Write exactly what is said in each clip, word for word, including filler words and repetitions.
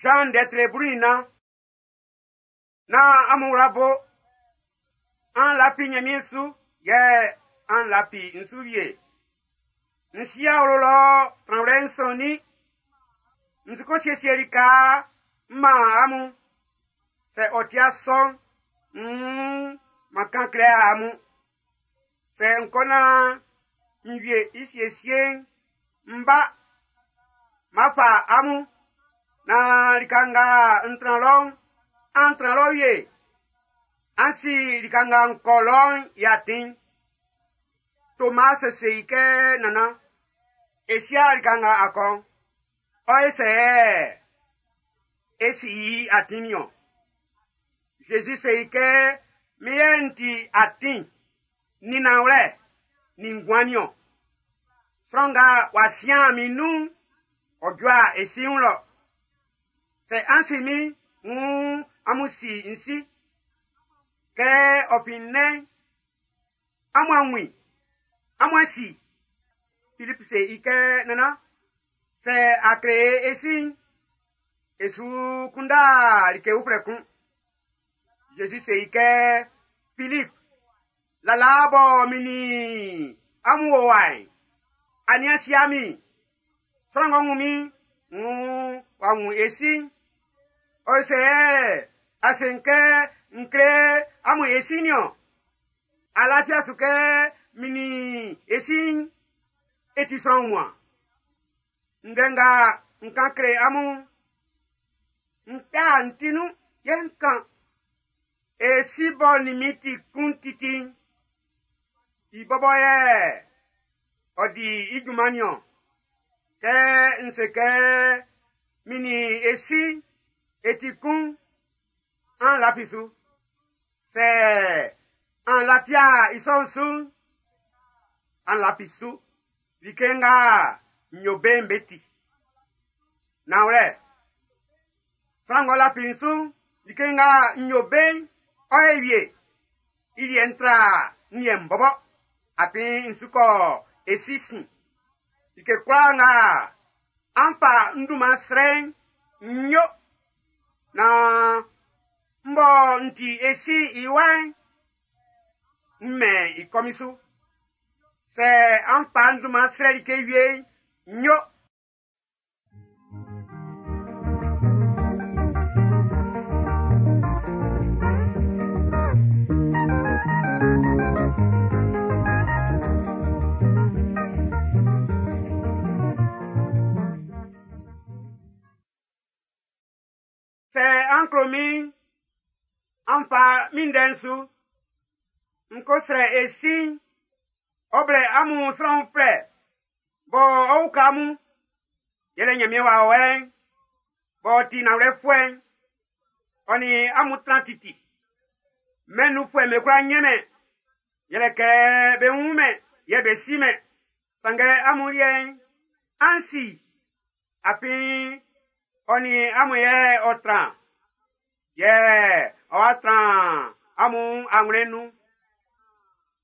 Jean ndɛtre blu nin na amun wla bo an lafi Ɲanmiɛn su yɛ an lafi n su wie. N si awlo lɔ tranwlɛ'n sɔnnin. N su ko siesie lika m man amun. Sɛ ɔ ti sɔ'n, nn man kan kle amun. Sɛ n kɔ naan n wie i siesie'n, n ba, ma fa amun. Na lika nga n tran lɔ'n, an tran lɔ wie. An si lika nga n kɔ lɔ'n i atin. Tomas se i kɛ nana, e sia lika nga a kɔ'n, ɔ e sɛ e si i atin niɔn. Zezi se i kɛ, min yɛ n ti atin, nin nanwlɛ, nin nguan niɔn. Sran nga w'a sian min nun'n, ɔ jua e si wun lɔ. Sɛ an si min, wuun amun si n si. Kɛ ɔ fin nnɛn, amun a wun i, amun a si. Filip se i kɛ nana, sɛ a kle e si'n, e su kunndɛ like uflɛ kun. Zezi se i kɛ, Filip, lala bɔ min nin amun wo wa'n, a nian sia min. Sran ng'ɔ wun min, wuun w'a wun e si'n. Ɔ sɛ a se kɛ n kle amun e si niɔn. A lafia su kɛ min nin e si'n e ti sran wunmuan. Ndɛ nga n kan kle amun, n kpɛ n ti nun yɛ n kan. E si bɔ nin min ti kun titi'n, i bɔbɔ yɛ ɔ di i junman niɔn. Kɛ n se kɛ min nin e si e ti kun, an lafi su. Sɛ an lafia i sɔ'n su'n, an lafi su. Like nga n yo be'n be ti. Nanwlɛ, sran ng'ɔ lafi n su'n, like nga n yo be'n, ɔ ye wie. I liɛ'n tra n liɛ'n bɔbɔ. Afin n su kɔ e si sin. Like kwlaa nga an fa n dunman srɛ'n, n yo. Na n bɔ n ti e si i wa'n, n mɛn i kɔmin su. Sɛ an fa n dunman srɛ like wie'n, n yo. Sɛ an klo min, an fa min ndɛ'n su. N ko srɛ e si'n, ɔ blɛ amun sran uflɛ, bɔ ɔ uka amun. Yɛlɛ Ɲanmiɛn Wawɛ'n, b'ɔ ti nanwlɛfuɛ'n, ɔ nin amun tran titi. Mɛn nunfuɛ'm be kwla nyɛnmɛn, yɛlɛ kɛ be wun mɛn yɛ be si mɛn. Sanngɛ amun liɛ'n, an si, afin ɔ nin amun yɛ ɔ tran, yɛ ɔ wa tran amun anwlɛn'n nun.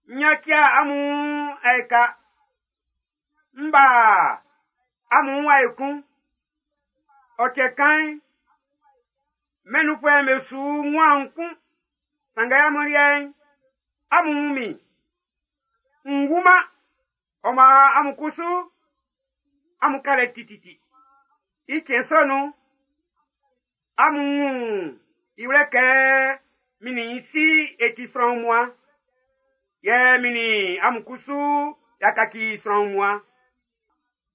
N yacia amun ɛka, n ba amun wa ekun. Ɔ cɛ kan'n, mɛn nunfuɛ'm be su nguan kun. Sanngɛ amun liɛ'n, amun wun min. N wunman, ɔ maan amun kusu, amun ka lɛ tititi. I cɛn sɔ nun'n, amun wun i wlɛ kɛ min nin n si e ti sran wunmuan. Yɛ min nin amun kusu y'a kaci sran wunmuan.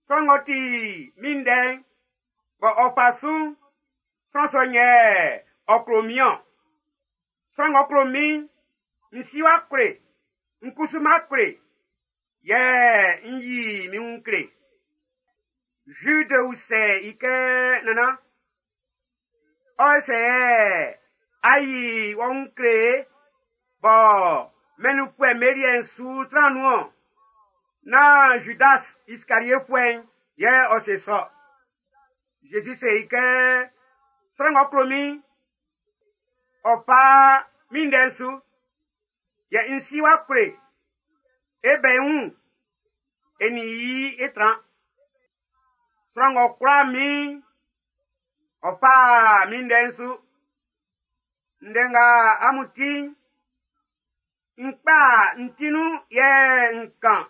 Sran ng'ɔ ti min ndɛ'n, bɔ ɔ fa su'n, sran sɔ'n yɛ ɔ klo min-ɔn. Sran ng'ɔ klo min'n, n si wa kle, n kusu ma kle, yɛ n yi min wun kle. Jude usɛ i kɛ nana, ɔ sɛ a yi wɔ wun kle bɔ mɛn nunfuɛ'm be liɛ'n su tran nun-ɔn. Na Judas Iskariefuɛ'n yɛ ɔ se sɔ. Zezi se i kɛ, sran ng'ɔ klo min'n, ɔ fa min ndɛ'n su. Yɛ n si wa kle, e bɛ i wun, e nin i e tran. Sran ng'ɔ kwla min'n, Ɔ fa min ndɛ'n su. Ndɛ nga amun ti'n, n kpa n ti nun yɛ n kan.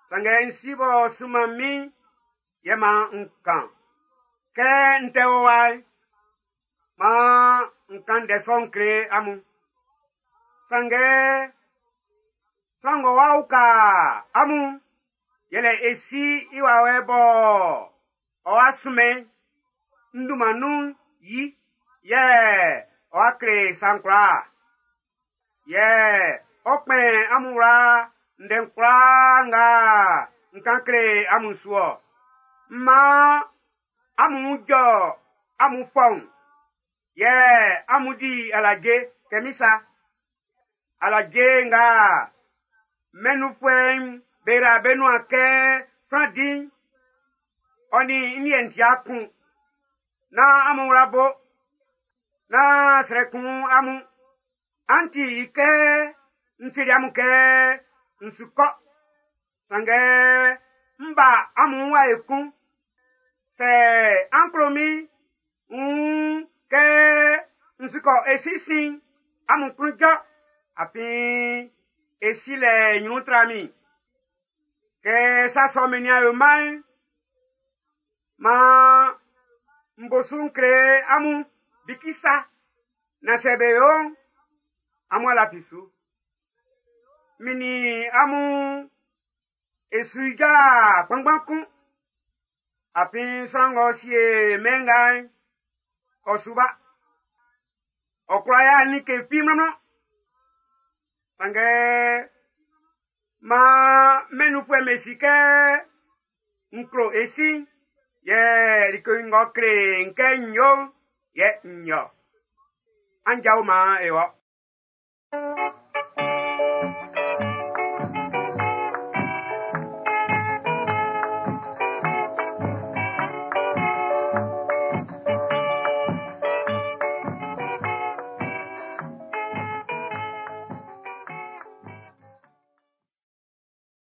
Sanngɛ n si b'ɔ sunman min yɛ man n kan. Kɛ n tɛ wɔ wa'n, man n kan ndɛ sɔ'n kle amun. Sanngɛ sran ng'ɔ wa uka amun yɛlɛ e Si i Wawɛ bɔ ɔ wa sunmɛn n dunman nun yi, yɛ ɔ wa kle sa'n kwlaa. Yɛ ɔ kpɛn amun wla ndɛ'n kwlaa nga n kan kle amun su-ɔ. Man amun jɔ amun fɔun, yɛ amun di alaje kɛ min sa. Alaje nga mɛn nunfuɛ'm be ra be nuan kɛ sran di'n, ɔ nin n liɛ'n ti'a kun. Nán amun wla bo, nán srɛ kun amun. An ti i kɛ n seli amun kɛ n su kɔ, sanngɛ n ba amun wa ekun. Sɛ an klo min, n kɛ n su kɔ e Si sin, amun klun jɔ, afin e Si lɛ nyrun tra min. Kɛ sa sɔ'n min nian yo-man'n, man n bo su n kle amun bikisa, na sɛ be yo'n, amun a lafi su. Min nin amun e su ijɔ kpanngban kun, afin sran ng'ɔ sie mɛn nga'n, ɔ su ba. Ɔ kwla ya like fi mlɔnmlɔn. Sanngɛ man mɛn nunfuɛ'm be si kɛ n klo e Si, yɛ like ng'ɔ kle n kɛ n yo'n, yɛ n yo. An jao man e wɔ.